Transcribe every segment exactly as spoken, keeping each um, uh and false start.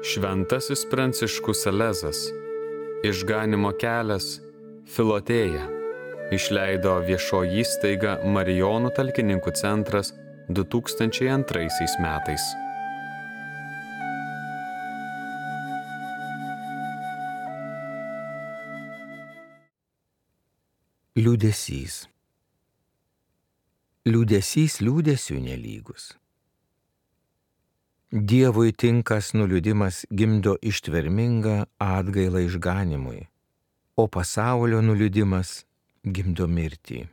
Šventasis Pranciškus Salezas, Išganymo kelias, Filotėja, išleido viešoji įstaiga Marijonų talkininkų centras du tūkstančiai antraisiais metais. Liūdesys. Liūdesys liūdesiui nelygus. Dievui tinkas nuliūdimas gimdo ištvermingą atgailą išganimui, o pasaulio nuliūdimas gimdo mirtį.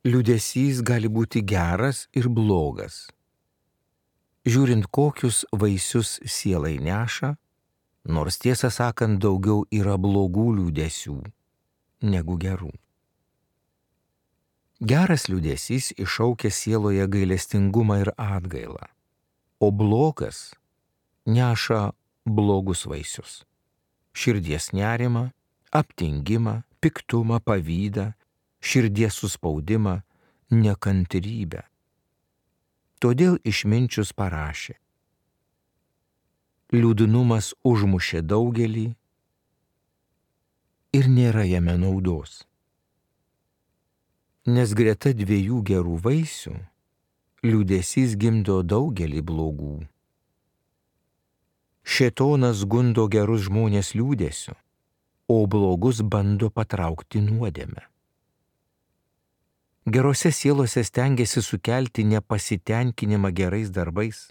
Liūdesys gali būti geras ir blogas. Žiūrint, kokius vaisius sielai neša, nors tiesą sakant daugiau yra blogų liūdesių negu gerų. Geras liūdesys iššaukia sieloje gailestingumą ir atgailą, o blogas neša blogus vaisius - širdies nerimą, aptingimą, piktumą, pavydą, širdies suspaudimą, nekantrybę. Todėl išminčius parašė: liūdnumas užmušė daugelį ir nėra jame naudos. Nes greta dviejų gerų vaisių liūdesys gimdo daugelį blogų. Šėtonas gundo gerus žmonės liūdesiu, o blogus bando patraukti nuodėmę. Gerose sielose stengiasi sukelti nepasitenkinimą gerais darbais.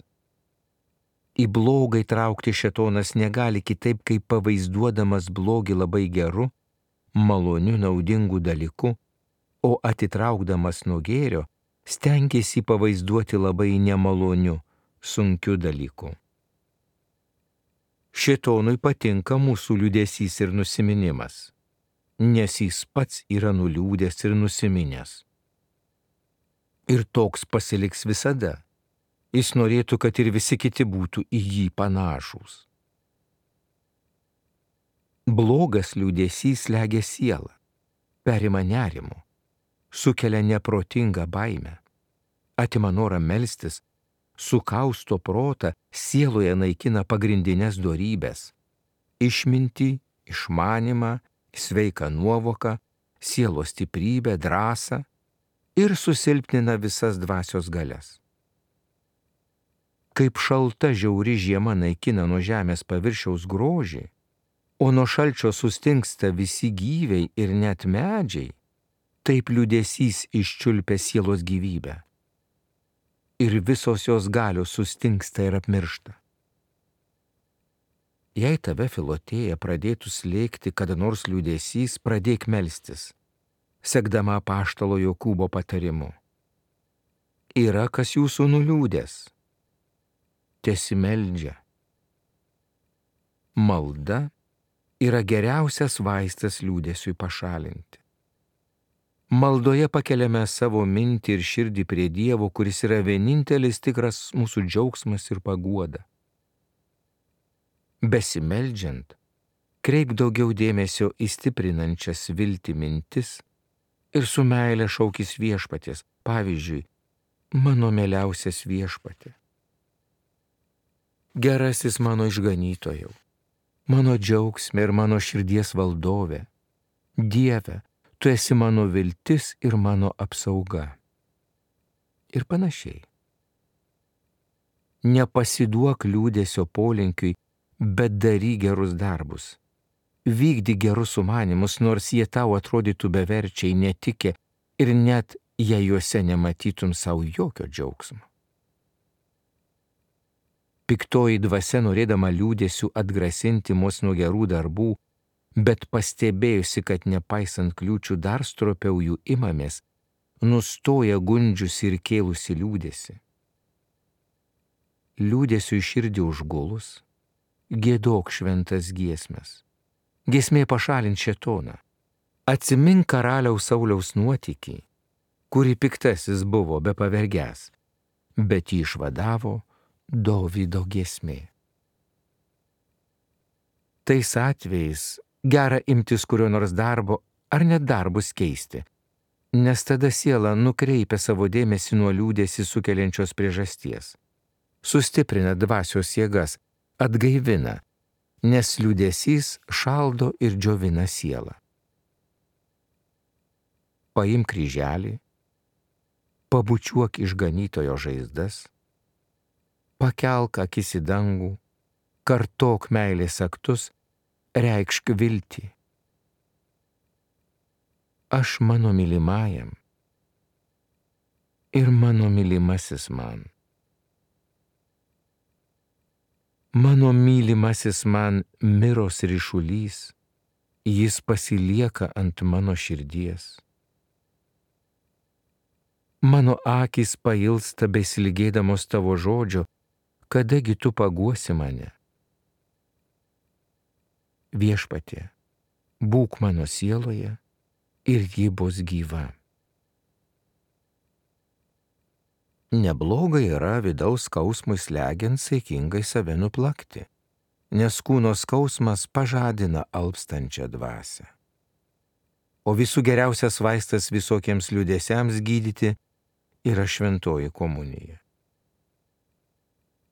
Į blogą įtraukti šėtonas negali kitaip, kaip pavaizduodamas blogį labai geru, maloniu, naudingu dalyku, o atitraukdamas nuo gėrio, stengiasi pavaizduoti labai nemaloniu, sunkiu dalyku. Šėtonui patinka mūsų liūdesys ir nusiminimas, nes jis pats yra nuliūdęs ir nusiminęs. Ir toks pasiliks visada. Jis norėtų, kad ir visi kiti būtų į jį panašūs. Blogas liūdesys slegia sielą, perima nerimu, sukelia neprotingą baimę, atima norą melstis, sukausto protą, sieloje naikina pagrindinės dorybės - išmintį, išmanymą, sveiką nuovoką, sielos stiprybę, drąsą ir susilpnina visas dvasios galias. Kaip šalta žiauri žiema naikina nuo žemės paviršiaus grožį, o nuo šalčio sustingsta visi gyviai ir net medžiai, taip liūdesys iščiulpia sielos gyvybę. Ir visos jos galios sustingsta ir apmiršta. Jei tave Filotėja pradėtų slėgti kada nors liūdesys, pradėk melstis, sekdama apaštalo Jokūbo patarimu. Yra kas jūsų nuliūdęs, tesimeldžia. Malda yra geriausias vaistas liūdesiui pašalinti. Maldoje pakeliame savo mintį ir širdį prie Dievo, kuris yra vienintelis tikras mūsų džiaugsmas ir paguoda. Besimeldžiant, kreip daugiau dėmesio į stiprinančias viltį mintis ir su meile šaukis viešpaties, pavyzdžiui, mano mieliausias viešpatie. Gerasis mano išganytojau, mano džiaugsmė ir mano širdies valdove, Dieve, tu esi mano viltis ir mano apsauga. Ir panašiai. Nepasiduok liūdesio polinkiui, bet daryk gerus darbus. Vykdyk gerus sumanymus, nors jie tau atrodytų beverčiai, netikė ir net jei juose nematytum savo jokio džiaugsmo. Piktoji dvasia, norėdama liūdesiu atgrasinti mus nuo gerų darbų, bet pastebėjusi, kad nepaisant kliūčių dar stropiau jų imamės, nustoja gundžiusi ir kėlusi liūdėsi. Liūdėsiu į širdį užgulus, giedok šventas giesmes. Giesmė pašalint šėtoną. Atsimink karaliaus Sauliaus nuotykį, kurį piktasis buvo be pavergęs, bet jį išvadavo Dovydo giesmė. Tais atvejais gera imtis kurio nors darbo ar net darbus keisti, nes tada siela nukreipia savo dėmesį nuo liūdesį sukeliančios priežasties, sustiprina dvasios jėgas atgaivina, nes liūdesys šaldo ir džiovina sielą. Paimk kryželį, pabučiuok išganytojo žaizdas, pakelk akis į dangų, kartok meilės aktus, reikšk viltį. Aš mano mylimajam ir mano mylimasis man. Mano mylimasis man miros ryšulys, jis pasilieka ant mano širdies. Mano akys pailsta besilgėdamos tavo žodžio, kadagi tu paguosi mane. Viešpatie, būk mano sieloje ir ji bus gyva. Neblogai yra vidaus skausmui slegiant saikingai save nuplakti, nes kūno skausmas pažadina alpstančią dvasią. O visų geriausias vaistas visokiems liūdesiams gydyti yra šventoji komunija.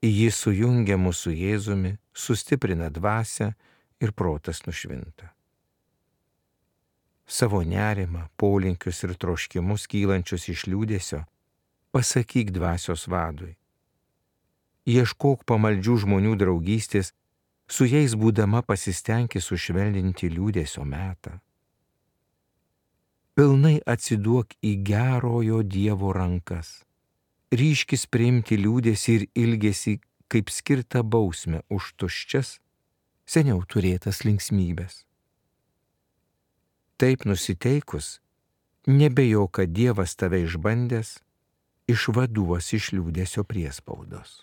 Ji sujungia mūsų Jėzumi, sustiprina dvasią ir protas nušvinta. Savo nerimą, polinkius ir troškimus kylančius iš liūdesio pasakyk dvasios vadui. Ieškok pamaldžių žmonių draugystės, su jais būdama pasistenki sušvelninti liūdesio metą. Pilnai atsiduok į gerojo Dievo rankas. Ryškis priimti liūdesį ir ilgesį kaip skirtą bausmę už tuščias, seniau turėtas linksmybės. Taip nusiteikus, nebejo, kad Dievas tave išbandęs, išvaduos iš liūdesio priespaudos.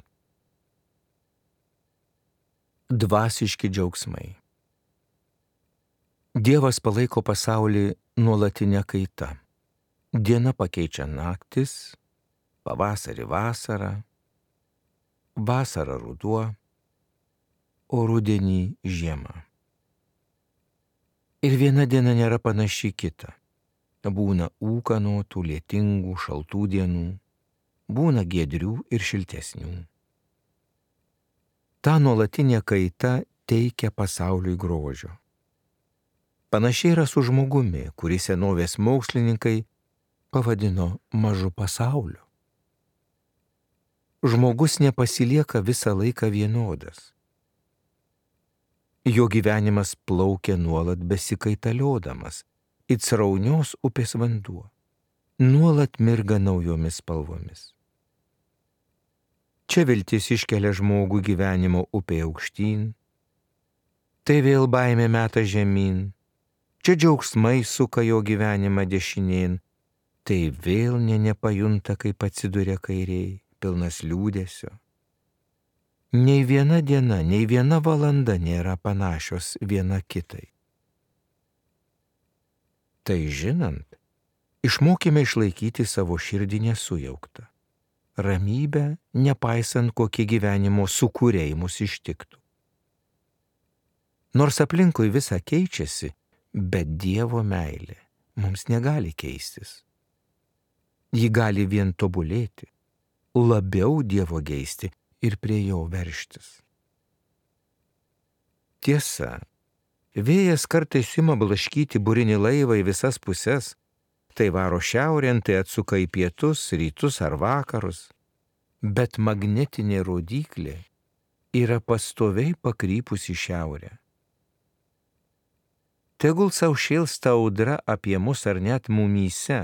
Dvasiški džiaugsmai. Dievas palaiko pasaulį nuolatinę kaitą. Diena pakeičia naktis, pavasarį vasarą, vasarą ruduo, o rudenį žiemą. Ir viena diena nėra panaši kita. Būna ūkanotų, lietingų, šaltų dienų, būna giedrių ir šiltesnių. Ta nuolatinė kaita teikia pasauliui grožio. Panašiai yra su žmogumi, kurį senovės mokslininkai pavadino mažu pasauliu. Žmogus nepasilieka visą laiką vienodas. Jo gyvenimas plaukia nuolat besikaitaliodamas, it sraunios upės vanduo, nuolat mirga naujomis spalvomis. Čia viltis iškelia žmogų gyvenimo upė aukštyn, tai vėl baimė meta žemyn, čia džiaugsmai suka jo gyvenimą dešinėn, tai vėl nė nepajunta, kaip atsiduria kairiai, pilnas liūdesio. Nei viena diena, nei viena valanda nėra panašios viena kitai. Tai žinant, išmokime išlaikyti savo širdį nesujauktą, ramybę, nepaisant kokie gyvenimo sukūriai mus ištiktų. Nors aplinkui visa keičiasi, bet Dievo meilė mums negali keistis. Ji gali vien tobulėti, labiau Dievo geisti ir prie jo verštis. Tiesa, vėjas kartais ima blaškyti burinį laivą į visas puses, tai varo šiaurėn, tai atsuka į pietus, rytus ar vakarus, bet magnetinė rodyklė yra pastoviai pakrypusi šiaurę. Tegul sau šėlsta audra apie mus ar net mumyse,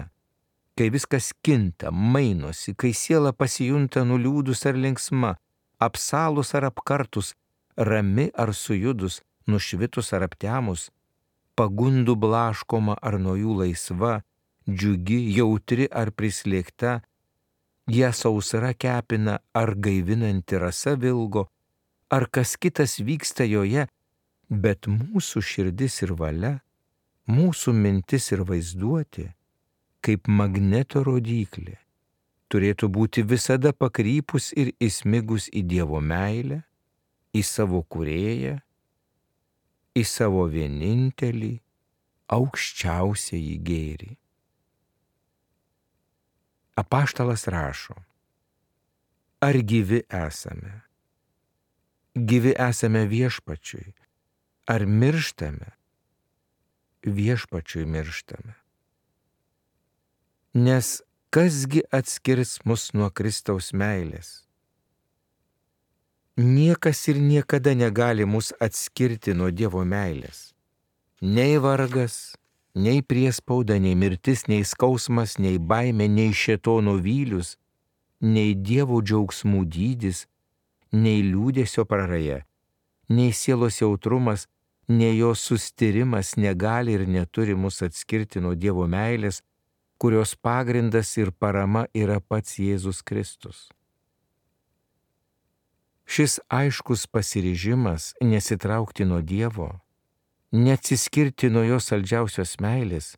kai viskas kinta, mainosi, kai siela pasijunta nuliūdus ar linksma, apsalus ar apkartus, rami ar sujudus, nušvitus ar aptemus, pagundų blaškoma ar nuo jų laisva, džiugi, jautri ar prislėgta, ją sausra kepina ar gaivinanti rasa vilgo, ar kas kitas vyksta joje, bet mūsų širdis ir valia, mūsų mintis ir vaizduotė, kaip magneto rodyklė, turėtų būti visada pakrypus ir įsmigus į Dievo meilę, į savo kūrėją, į savo vienintelį, aukščiausiąjį gėrį. Apaštalas rašo, ar gyvi esame, gyvi esame viešpačiui, ar mirštame, viešpačiui mirštame. Nes kasgi atskirs mus nuo Kristaus meilės? Niekas ir niekada negali mus atskirti nuo Dievo meilės. Nei vargas, nei priespauda, nei mirtis, nei skausmas, nei baimė, nei šėtono vylius, nei Dievo džiaugsmų dydis, nei liūdesio praraja, nei sielos jautrumas, nei jos sustyrimas negali ir neturi mus atskirti nuo Dievo meilės, kurios pagrindas ir parama yra pats Jėzus Kristus. Šis aiškus pasiryžimas nesitraukti nuo Dievo, neatsiskirti nuo jo saldžiausios meilės,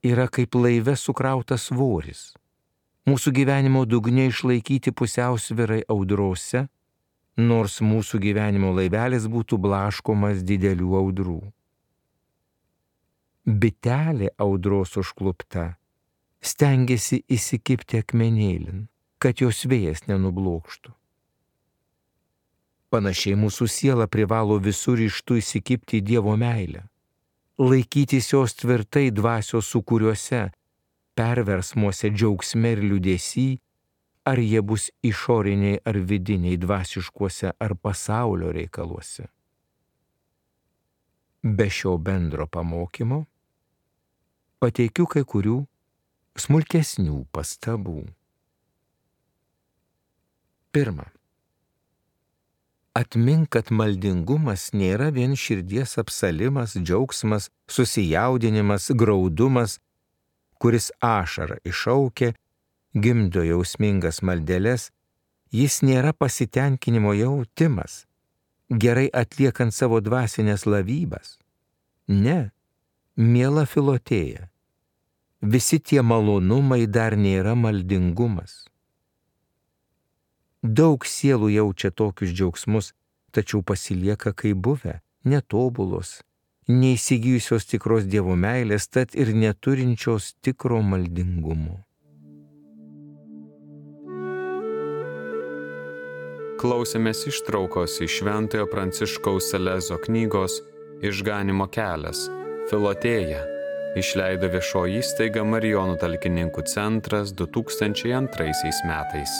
yra kaip laive sukrautas svoris. Mūsų gyvenimo dugne išlaikyti pusiausvyrai audrose, nors mūsų gyvenimo laivelis būtų blaškomas didelių audrų. Bitelė audros užklupta stengiasi įsikibti akmenėlin, kad jos vėjas nenublokštų. Panašiai mūsų siela privalo visur ryžtu įsikibti į Dievo meilę, laikytis jos tvirtai dvasios sūkuriuose, perversmuose džiaugsme ir liūdesy, ar jie bus išoriniai ar vidiniai, dvasiškuose ar pasaulio reikaluose. Be šio bendro pamokymo pateikiu kai kurių smulkesnių pastabų. Pirma. Atmink, kad maldingumas nėra vien širdies apsalimas, džiaugsmas, susijaudinimas, graudumas, kuris ašarą iššaukia, gimdo jausmingas maldeles, jis nėra pasitenkinimo jautimas, gerai atliekant savo dvasinės lavybas. Ne, miela Filotėja, visi tie malonumai dar nėra maldingumas. Daug sielų jaučia tokius džiaugsmus, tačiau pasilieka kaip buvę, netobulos, neįsigijusios tikros Dievo meilės, tad ir neturinčios tikro maldingumo. Klausėmės ištraukos iš Šventojo Pranciškaus Salezo knygos Išganymo kelias – Filotėja, išleido viešoji įstaiga Marijonų talkininkų centras du tūkstančiai antraisiais metais.